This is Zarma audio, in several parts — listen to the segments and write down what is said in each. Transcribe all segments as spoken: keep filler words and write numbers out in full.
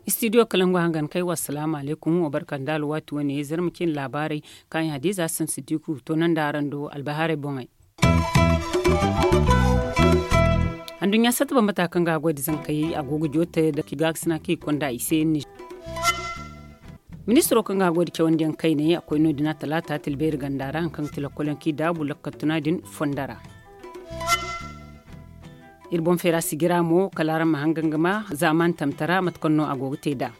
Istidiyo kalangu hangan kay wa salaamu alaykum wa barka nda alwaati wane zarma cin laabaarey. Kaayaŋ hadiza sansidiku to naŋ da araŋ do albahaarey boŋey. Anduɲɲa satta bambata kaŋ ga a goy da zankey a go ga joote da gaakasina kaŋ i konda i se. Ministiro kaŋ ga a goy da cawandiyaŋ kayney a koy no- din a talaata tilbeeri ganda ra hari kaŋ ga ti lokol yaŋ kaŋ i daabu lakkal tuna din fondo ra. Iri boŋ feera sijira mo kala araŋ ma hangan ga ma zaamaani tamtara mate kaŋ no a go ga te nd'a.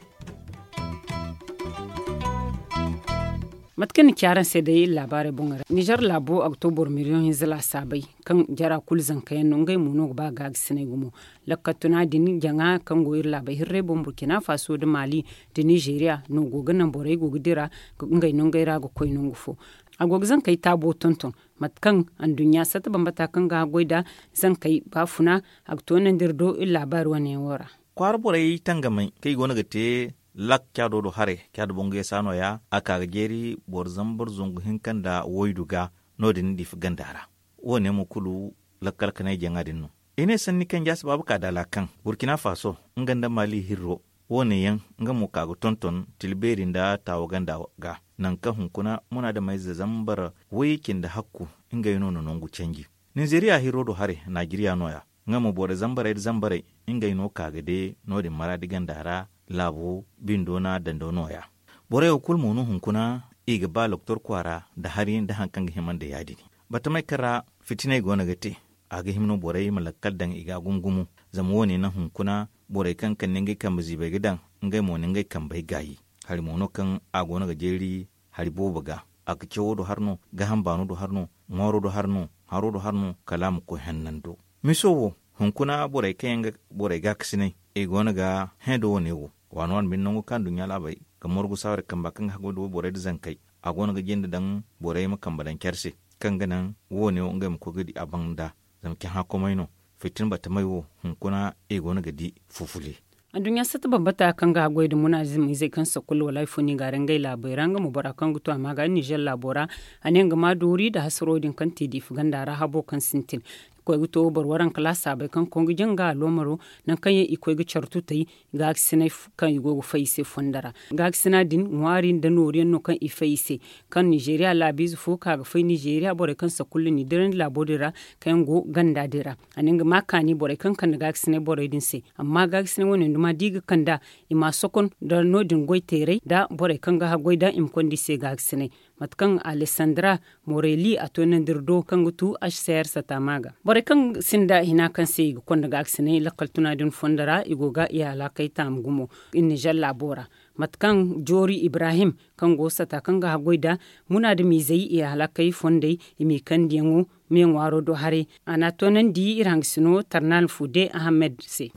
Mate kaŋ ni ci araŋ se day iri laabaarey boŋey ra nizer laabo a ga to boro miliyoŋ hinza laasaabey kaŋ jara kulu zanka yaŋ no ngey mo no ga ba gaagasiney gumo. Lakkal tuna din jaŋa kaŋ go iri laabey hirrey boŋ burkina faso nda maali nda nizeeriya no go ga naŋ borey go ga dira ngey nongey ra ga koy nangu fo. A go ga zankey taabo tonton mate kaŋ anduɲɲa satta bambata kaŋ ga haggoy nda zankey baafuna. A ga toonandi iri do iri laabaari wane yaŋ wo ra. Kwaara borey tangamay kaŋ i go no ga te lak caado do haray caado boŋ ga yasa no- ya a ka ga jeeri boro zambar zangu hinka nda waydu ga. No- din diifa ganda ra wo- ne mo kulu lakkal kanay jaŋa din no. I ne sanni kaŋ jaasi baaba ka daala kaŋ burkina faso nga nda maali hirro wo- ne yaŋ nga mo ka ga tonton tilbeeri nda taawa ganda ga nangu kaŋ hunkuna munaadamize zambar way cindi hakku ngey no na nangu canji. Ninzeeriya hirro do haray naajeriya no- ya nga mo borey zambarey nda zambarey ngey no ka ga de no- din maraadi ganda ra. Laabo bindo na dando no- ya borey wo kulu mo no hunkuna i ga ba loktor kwaara nda hari nda hari kaŋ ga hima nda ya- din. Batamey kaŋ ra fitiney go no ga te a ga hima no borey ma lakkal daŋ i ga gumo gumo. Zama wo- ne naŋ hunkuna borey kaŋ kande ngey kambe ziibey ga daŋ ngey mo na ngey kambey gaayi. Hari mo no kaŋ a go no ga jeeri hari boobo ga. A ga cawo do hari no gaaham baano do hari no ŋwaaro do hari no haro do hari no kala a ma koy hannando. Miso wo hunkuna borey kaŋ yaŋ ga borey gaakasinay i go no ga hẽ da wo- ne wo waani waani bine nangu kaŋ nduɲɲa laabey ga margu saaware kamba kaŋ ga haggoy da wayborey nda zankey a go no ga jinde daŋ borey ma kambe daŋ care se kaŋ ga naŋ wo- ne wo ngey ma koy ga di a banda. Zama cahã komey no fitin batamey wo hunkuna i go no ga di fufule. Anduɲɲa satta bambata kaŋ ga haggoy nda munaazimizey kaŋ sakkulu wala hari fo no i ga a ra ngey laabey ra nga mo bora kaŋ ga to a ma ga nizer laabo ra. A ne nga ma doori nda hasaro din kaŋ te diifa ganda ra habo kaŋ sintin i koy ga to boro waranka laasaabey kaŋ koy ga janga aloomaro nangu kaŋ yaŋ i koy ga care tutey. Gaakasiney kaŋ i go ga fay i se fondo ra gaakasina din ŋwaari nda noori yaŋ no kaŋ i fay i se. Kaŋ nizeeriya laabiize fo ka ga fay nizeeriya borey kaŋ sakkulu n'i dirandi laabo din ra kaŋ yaŋ go ganda din ra. A ne nga ma kaani borey kaŋ kande gaakasiney borey din se amma gaakasiney wane duma da i ga kand'a i ma sokon nda no- din goy teeray nda borey kaŋ ga haggoy nda i ma konda i se gaakasiney. Mate kaŋ alesandra moreli a toonandi iri do kaŋ ga tu hcr satama ga borey kaŋ sinda hina kaŋ se i ga konda gaakasiney lakkal tuna din fondo ra i go ga i halakey taamu gumo. Nizer laabo ra mate kaŋ joori ibrahim kaŋ go sata kaŋ ga haggoy nda munaadamizey i halakey fondey i m'i kandiyaŋo me ŋwaaro do haray. A n'a toonandi iri hangasino tarnal fude ahamed se.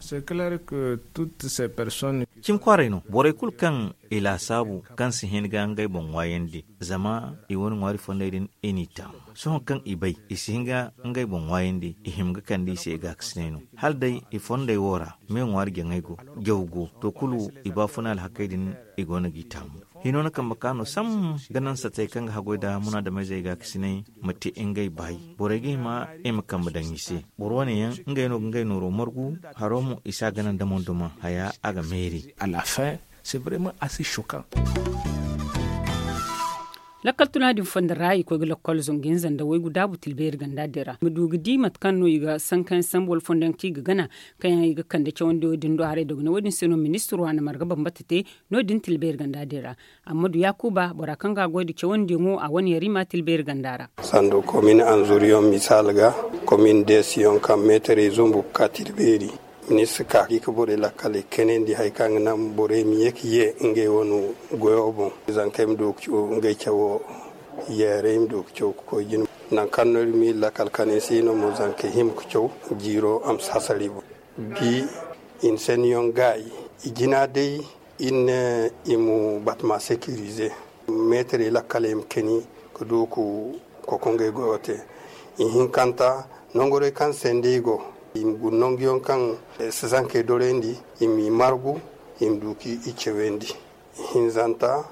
Cimi kwaaray no borey kulu kaŋ i laasaabu kaŋ si hin ga ngey boŋ ŋwaayandi zama i wane ŋwaari fondey din i n'i taamu. Sohõ kaŋ i bay i si hin ga ngey boŋ ŋwaayandi i hima ga kande i se i gaakasiney no. Hala day i fondey wo ra me ŋwaari jaŋey go jaw go to kulu i baafuna alhakey din i go no g'i taamu. Hino na kambe ka no sambu ga naŋ satey kaŋ ga haggoy nda munaadameyzey gaakasiney ma te ngey baayi borey ga hima i ma kambe daŋ i se. Boro wane yaŋ ngey no ga ngey nooro margu haro mo i si a gana nda mondoma haya a ga meeri. Lakkal tuna din fondo ra i koy ga lakkal zangu hinza nda waygu daabu tilbeeri ganda din ra i ma du ga di mate kaŋ no i ga sankayaŋ sambu wala fondo yaŋ kaŋ i ga gana kaŋ yaŋ i ga kande cawandiyo din do haray dogonay wo- din se no ministiro a na marga bambata te. No- din tilbeeri ganda din ra ammadu yaakuba bora kaŋ ga a goy nda cawandiyaŋo a wane yarima tilbeeri ganda ra. Sanda komin anzuriyaŋ misaali ga komin deesiyaŋ kaŋ meetarey zumbu ga ka tilbeeri. Ministir ka ga i ga borey lakkal i ga kayandi hari kaŋ ga naŋ borey ma ye ga ye ngey wane goyo boŋ. Zankey ma du ga caw ngey cawo yeerey ma du ga caw ga koy jine. Nangu kaŋ no iri ma iri lakkal kande se no mo zankey hima ga caw jiiro a ma si hasara i boŋ. Bi i na sanniyaŋ gaayi i jina day. Iri ne i ma batama sekirize meetarey lakkaley ma kani ga du ga kokonge goyo te. Ihinkanta nongorey kaŋ sende i go i ma guna nanguyaŋ kaŋ si zankey dorayndi i m'i margu i ma du k'i cawandi. Ihinzanta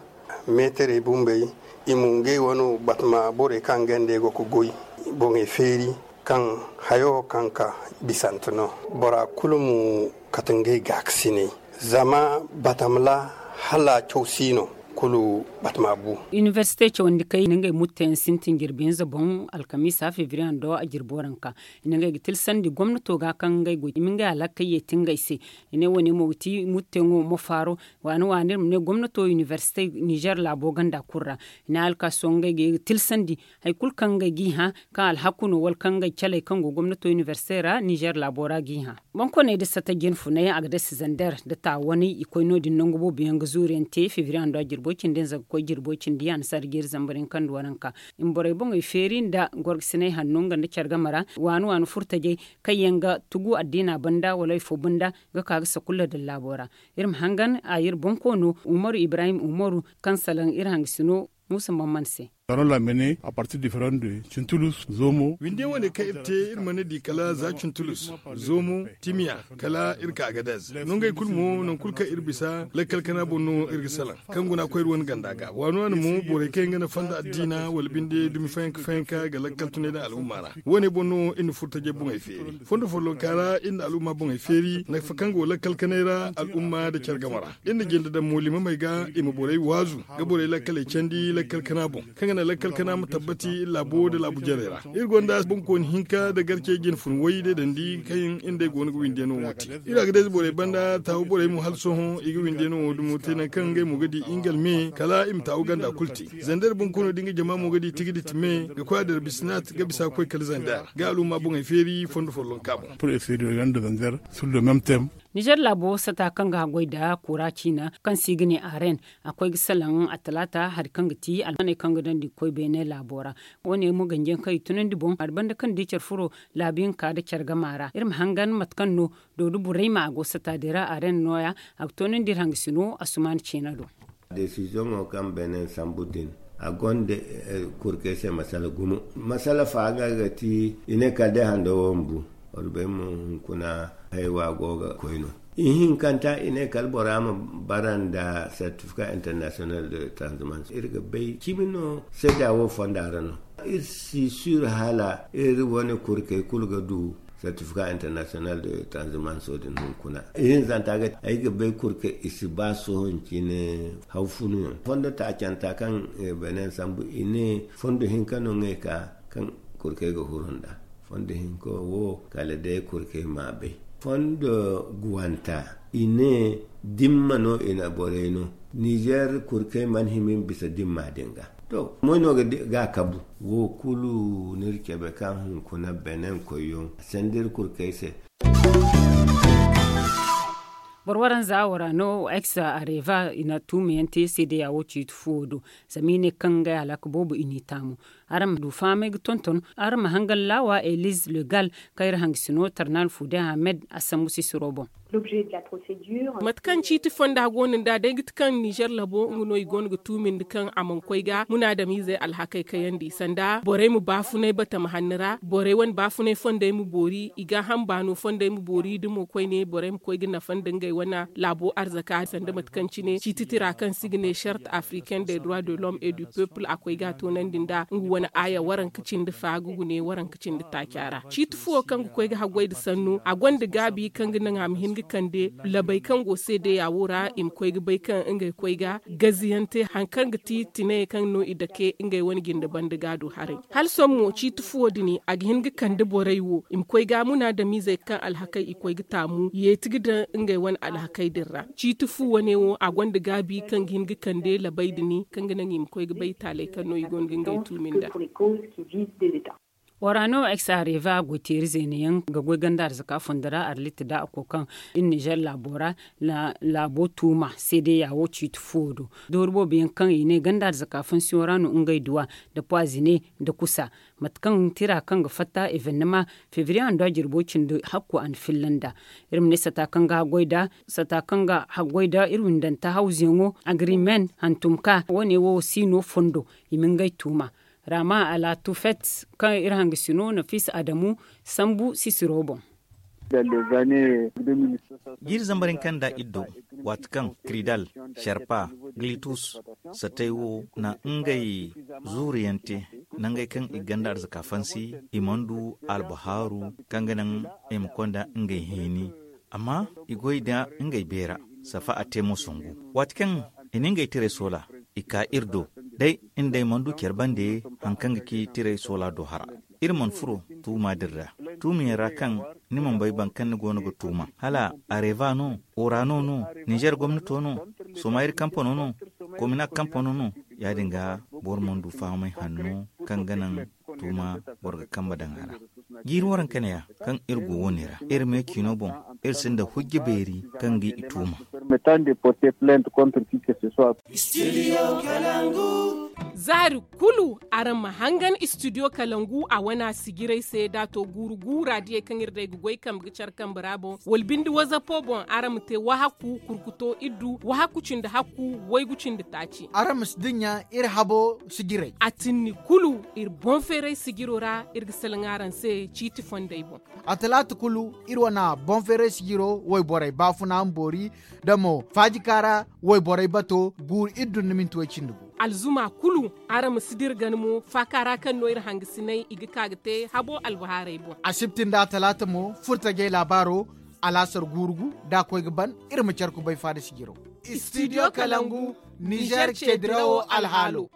Meetarey bumbey, i mo ngey wano batama borey kaŋ ga ngey go ga goy, boŋey feeri kaŋ hayo kaŋ ka bisante no. Bora kulu mo kate ngey gaakasiney, zama batama ra hala caw si no, kulu batama bu. Inibersite cawandi kay na ngey mutteyaŋ sintin jirbi hinza boŋ, alkamiisa febriye hando a jirbo ranka. I na ngey ga tilsandi gomnato ga kaŋ ngey go i ma ngey alhakey yeeti ngey se. I ne wo- ne mo ga ti mutteyaŋo mo faaro. Waani waani iri ma ne gomnato inibersite nizer laabo ganda kulu ra. I ne alkaaso ngey ga ye ga tilsandi hari kulu kaŋ ngey g'i hã, kaŋ alhaku no wala kaŋ ngey caley kaŋ go gomnato inibersite ra nizer laabo ra g'i hã. Boŋ koney nda sata jinfunay a ga dasi zander nda taawanay i koy no- din nangu boobo yaŋ ga zuuru yaŋ te febriye hando a jirbo cindi hinza ga koy jirbo cindi annasaara jeeri zambar yaŋ kaŋ nda waranka. I ma borey boŋey feeri nda gorgasinay hanno nga nda care game ra waani waani furtajey kaŋ yaŋ ga tugu addiina banda wala hari fo banda ga ka ga sakulla din laabo ra. Iri ma hangan a iri boŋ koono umaru ibrahim umaru kaŋ salaŋ iri hangasino muusa mamman se. Taron lamene a partir diferan de cintulus zoomo. Windiyaŋ wane kaŋ iri te iri mana di kala za cintulus, zoomo, timiya, kala iri ka agadez. Nongey kulu mo nangu kulu kaŋ iri bisa lakkal kana boŋ no iri ga salaŋ kaŋ guna koy iri wane ganda ga waano wane mo borey kaŋ yaŋ ga nafa nda addiina wala binde dumi fayanka fayanka ga lakkal tunay nda al'umma ra. Wo- ne boŋ no iri na furo tajey boŋey feeri fondo follonka ra iri na al'umma boŋey feeri nafa kaŋ go lakkal kanay ra al'umma nda care game ra. Iri na jinde daŋ mo liimamey ga i ma borey waazu ga borey lakkaley candi lakkal kana boŋ kaŋ ga naŋ lakkal kana ma tabbati iri laabo nda laabu jarey ra. Iri gonda boŋkooni hinka nda garcey jinfun way day dandi kaŋ iri nd'ey go no ga windiyaŋo wo te. Iri a ga day borey banda taawu borey mo hala sohõ i ga windiyaŋo wo dumo te nangu kaŋ ngey mo ga di ingal me kala i ma taawu ganda kulu te. Zanda iri boŋ koono da nga jama mo ga di tigiditi me ga koy a dira bisinaat ga bisa ga koy kala zanda ga al'umma boŋey feeri fondo follonka boŋ. Pur eseri ganda zanda sur le mem tem. Nizer laabo sata kaŋ ga haggoy nda kura ciina kaŋ se i ga ne aren a koy ga salaŋ a talaata hari kaŋ ga ti almaney kaŋ ga dandi ga koy beene laabo ra. Wo- ne mo ganjiyaŋ kaŋ i tunandi boŋ hari banda kaŋ di care furo laabu hinka nda care gama ra iri ma hangan mate kaŋ no doodo burayma a go sata din ra aren nooya a ga toonandi iri hangasino asumaana ciina do. Desizoŋo kaŋ beene sambu din a gonda kurkey se masala gumo. Masala fa ga ga ti i ne kala day hando wo ma bu. Wala bay mo hunkuna haywa go ga koy no. Ihinkanta i ne kala bora ma bara nda certificat international de transhumance iri ga bay cimi no seeda wo fonda ra no. Iri si sur hala iri wane kurkey kulu ga du certificat international de transhumance din hunkuna. Ihinzanta ga ti ay ga bay kurkey i si ba sohõ cine haw funuyaŋ fondo taacanta kaŋ benin sambu i ne fondo hinka no ngey ka kaŋ kurkey ga huru nda fondo hinka wo kala day kurkey ma bay. Fondo guwanta i ne dimma no i na borey no. Nizer kurkey mana hima i ma bisa dimma din ga. To moy no ga kabu. Wo kulu ni iri cabe kaŋ hunkuna benin koyyaŋ sanda iri kurkey se. Boro waranza wara no ex areva i na tuumiyaŋ te seedeya wo ciiti fuwo do. Zama i ne kaŋ ngey alaka boobo i n'i taamu. Araŋ ma du fahamay ga tonton araŋ ma hangan laawa eliz legal kaŋ iri hangasino tarnal fuude ahmed a sambu sisiro boŋ. Mate kaŋ ciiti fonda go no nd'a day ga ti kaŋ nizer labo nga no i go no ga tuumindi kaŋ a mana koy ga munaadamizey alhakey kayandi sanda borey ma baafunay batama hanni ra borey wane baafunay fondey ma boori i gaaham baano fondey ma boori da mo koyne borey ma koy ga nafa nda ngey wane laabo arzaka sanda mate kaŋ cine ciiti tira kaŋ se i ga ne charte africaine des droits de l'homme et du peuple a koy ga a toonandi nd'a nga wane aaya waranka cindi fa ga gune waranka cindi taaca ra ciiti fuwo kaŋ ga koy ga haggoy nda sannu a gonda gaabi kaŋ ga naŋ a ma hin ga kande labey kaŋ go seedeya wo ra i ma koy ga bay kaŋ ngey koy ga gaziyaŋ te hari kaŋ ga ti tinayey kaŋ no i dake ngey wane jinde banda ga du haray hala sohõ mo ciiti fuwo din a ga hin ga kande borey wo i ma koy ga munaadamizey kaŋ alhakey i koy ga taamu yeeti ga daŋ ngey wane alhakey din ra ciiti fu wane wo a gonda gaabi kaŋ ga hin ga kande labey din kaŋ ga naŋ i ma koy ga bay taaley kaŋ no i go no ga ngey tuumi nda. Wara no ex areva goy teeri zeena yaŋ ga goy ganda arzaka fondo ra arlit da a koy kaŋ iri nizer laabo ra laabo tuuma seedeya wo ciiti fuwo do doori boobo yaŋ kaŋ i ne ganda arzaka fonsiyoŋ ra no ngey duwa nda puwazine nda kusa mate kaŋ tira kaŋ ga fatta evennema febriye hando a jirbo cindi hakku a na filla nd'a. Iri ma ne sata kaŋ ga haggoy nda sata kaŋ ga haggoy nda iri windanta hawzuyaŋo agrimen hantum ka wo- ne wo si no fondo i ma ngey tuuma. Rama ala tufet kaŋ iri hangasino nafis adamu sambu sisiro boŋ. Jiiri zambar hinka nda iddo, waati kaŋ kridal, sharpa, glitus, satay wo na ngey zuuriyaŋ te, nangey kaŋ i ganda arzaka fansi, i mana du albahaaru kaŋ ga naŋ i ma konda ngey hini. Amma i goy da ngey beera, safa a te mo sangu. Waati kaŋ i na ngey tiray soola, i ka iri do. Day, nd'ey mana du care bande, hari kaŋ ga ci tiray soola do hara. Iri mana furo tuuma din ra, tuumiyaŋ ra kaŋ ni mana bay boro kaŋ ni go no ga tuuma, hala areva no, orano no, nizer gomnato no, somayir kampano no, komina kampano no. Ya- din ga, boro mana du fahamay hanno kaŋ ga naŋ tuuma boro ga kambe daŋ a ra. Jiiri waranka neeya, kaŋ iri go wo- ne ra, iri me ciino boŋ, iri sinda hujja beeri kaŋ ga i tuuma. Zaari kulu araŋ ma hangan istidiyo kalangu a wana sijiray se da a to guuru guura diyey kaŋ iri day ga goy kambe ga care kambe ra boŋ, wala binde wazapo boŋ araŋ ma te wahakku kurkuto iddu wahakku cindi hakku waygu cindi taaci. Araŋ ma si dinya iri habo sijiray. A tinni kulu iri boŋ feeray sijiro ra iri ga salaŋ araŋ se ciiti fondey boŋ. A talaata kulu iri wana boŋ feeray sijiro wayborey baafuna ma boori, da mo faajika ra wayborey bato guuru iri dunduminti way cindi gu. Alzuma kulu araŋ ma si dira gana mo faaka ra kaŋ no iri hangasinay i ga ka ga te habo albahaarey boŋ. Asibti nda a talaata mo furtajey laabaaro, alaasar guuru gu da a koy ga ban, iri ma care kubay faada sijiro. Istidiyo kalangu, nizer ceedirawo alhaalo.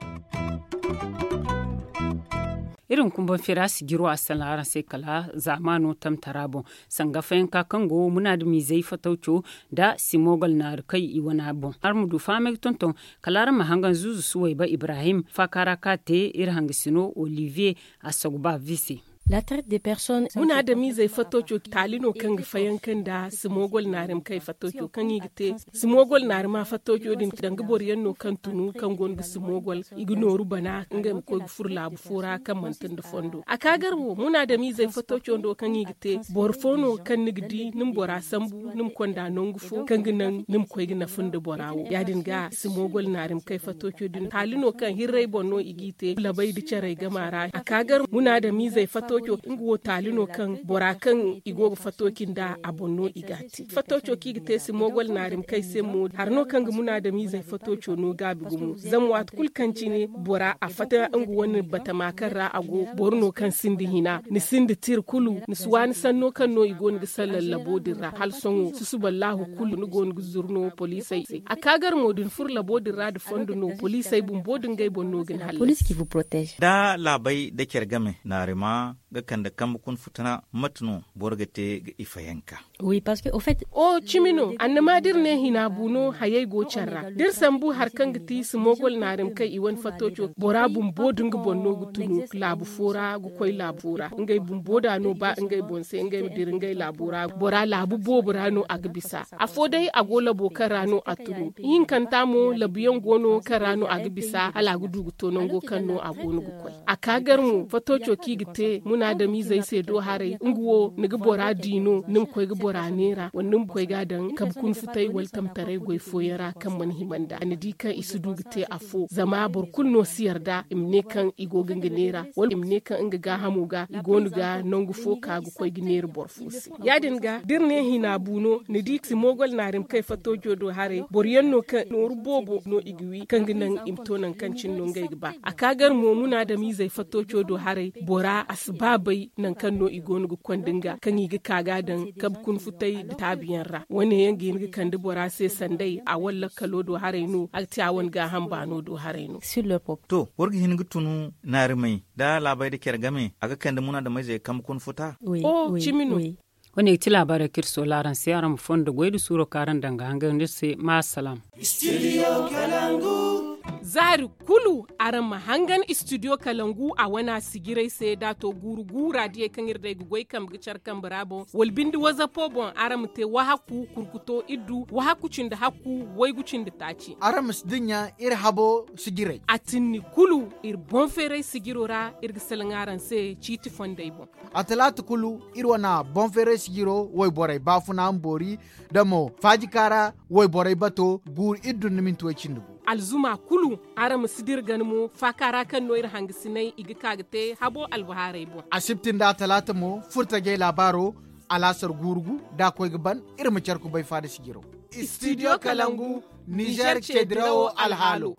Iri ma kumbaŋ feera sijiro a salaŋ araŋ se kala zaamaano tamtara boŋ, sanga fayanka kaŋ go munaadamizey fatawco nda simogol naari kay i wana boŋ araŋ ma du fahamay ga tonton. Kala araŋ ma hangan zuuzu suwayba ibrahim faaka ra ka te iri hangasino olivier a saguba vi se. Munaadamizey fatawco taali no kaŋ ga fayanka nda simogol naari ma kay fatawco kaŋ i ga te. Simogol naari ma fatawco din danga boro yaŋ no kaŋ tunu kaŋ go no ga simogol i ga nooru bana ngey ma koy ga furo laabu fo ra kaŋ manti nda fondo a ka gar wo munaadamizey fatawco ndo kaŋ i ga te. Boro fo no kaŋ ni ga di ni ma bora sambu ni ma konda nangu fo kaŋ ga naŋ ni ma koy ga nafa nda bora wo ya- din ga simogol naari ma kay fatawco din taali no kaŋ hirray boŋ no i g'i te labay nda carey gama ra a ka gar munaadamizey fatawco nga wo taali no kaŋ bora kaŋ i go ga fatawci nda a boŋ no i g'a te fatawco kaŋ i ga te simogol naari ma kay se mo hari no kaŋ ga munaadamizey fatawco no gaabi gumo zama waati kulu kaŋ cine bora a fatta nga wane batama kaŋ ra a go boro no kaŋ sinda hina ni sinda tira kulu ni si waani sanno kaŋ no i go no ga sallar labo din ra hala sohõ susuballahu kulu ni go no ga zuru no poliisey se a ka gar mo da ni furo labo din ra nda fondo no poliisey bumbo nda ngey boŋ no ga ni hallasi. Da laabey nda care game naarima ga kande kambe kuna futuna mate no boro ga te ga ifayanka? O cimi no annama da iri ne hina bu no hayey go care ra da iri sambu hari kaŋ ga ti simogol naarima kaŋ i wane fattoco bora bumbo da nga boŋ no ga tunu laabu fo ra ga koy laabu fo ra ngey bumbo da no ba ngey boŋ se ngey ma dira ngey laabo ra bora laabu boobo ra no a ga bisa. Afo day a go labo kaŋ ra no a tunu ihinkanta mo labuyaŋ go no kaŋ ra no a ga bisa hala a ga du ga to nango kaŋ no a go no ga koy. A ka gar mo fattoco kaŋ i ga te munaadamizey se do haray nga wo ni ga bora di no ni ma koy ga bora neera wala ni ma koy ga a daŋ kabe kuna futay wala tamtaray goy fooyaŋ ra kaŋ mana hima nd'a ni di kaŋ i si du ga te afo zama boro kulu no si yarda i ma ne kaŋ i go ga nga neera wala i ma ne kaŋ nga gaahamo ga i go no ga nangu fo ka ga koy ga neera boro fo se. Ya- din ga da iri ne hina bu no ni di simogol naari ma kay fattoco do haray boro yaŋ no kaŋ nooru boobo no i ga wi kaŋ ga naŋ i ma to nangu kaŋ cine no ngey ga ba. A ka gar mo munaadamizey fattoco do haray bora a si ba bay nangu kaŋ no i go no ga konda nga kaŋ i ga ka ga a daŋ kabe kuna futay nda taabiyaŋ ra wane yaŋ ga hin ga kande bora se sanday a wane lakkalo do haray no a ga te a wane gaaham baano do haray no. To boro ga hin ga tunu naarimey nda laabey nda care game a ga kande munaadameyzey kambe kuna futa? Cimi no. Wane ga ti laabaarey kaŋ iri soola araŋ se araŋ ma fondo goy nda suuro kaŋ araŋ daŋ ga hangan nda iri se ma assalam. Zaari kulu araŋ ma hangan istidiyo kalangu a wana sijiray se da a to guuru guura diyey kaŋ iri day ga goy kambe ga care kambe ra boŋ wala binde wazapo boŋ araŋ ma te wahakku kurkuto iddu wahakku cindi hakku waygu cindi taaci. Araŋ ma si dinya iri habo sijiray. A tinni kulu iri boŋ feeray sijiro ra iri ga salaŋ araŋ se ciiti fondey boŋ. A talaata kulu iri wane boŋ feeray sijiro wayborey baafuna ma boori da mo faajika ra wayborey bato guuru iri dunduminti way cindi gu. Alzuma kulu araŋ ma si dira gana mo faaka ra kaŋ no iri hangasinay i ga ka ga te habo albahaarey boŋ. Asibti nda a talaata mo furtajey laabaaro. alaasar guurugu da a koy ga ban. Iri ma care kubay faada sijiraw. Studio kalangu, nizer ceedirawo alhaalo.